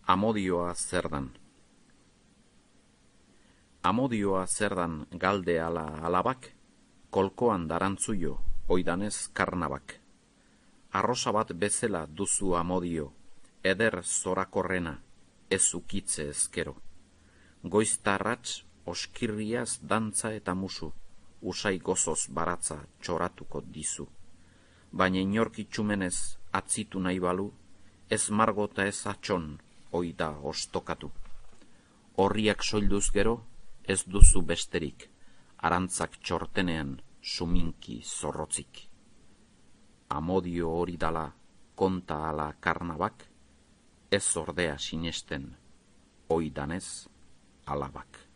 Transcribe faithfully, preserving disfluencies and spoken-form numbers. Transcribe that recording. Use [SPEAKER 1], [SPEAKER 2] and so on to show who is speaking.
[SPEAKER 1] Amodioa zer dan. Amodioa zer dan galde ala alabak, kolkoan darantzuio, oidanez karnabak. Arrosa bat bezala duzu amodio, eder zorakorrena, ez ukitze ezkero. Goiztarratz, oskirriaz dantza eta musu, usai gozoz baratza txoratuko dizu. Baina inorkitxumenez atzitu nahi balu, ez margota ez atxon, oida ostokatu. Horriak soilduz gero, ez duzu besterik, arantzak txortenean suminki zorrotzik. Amodio hori dala konta ala karnabak, ez ordea sinesten, oidanez alabak.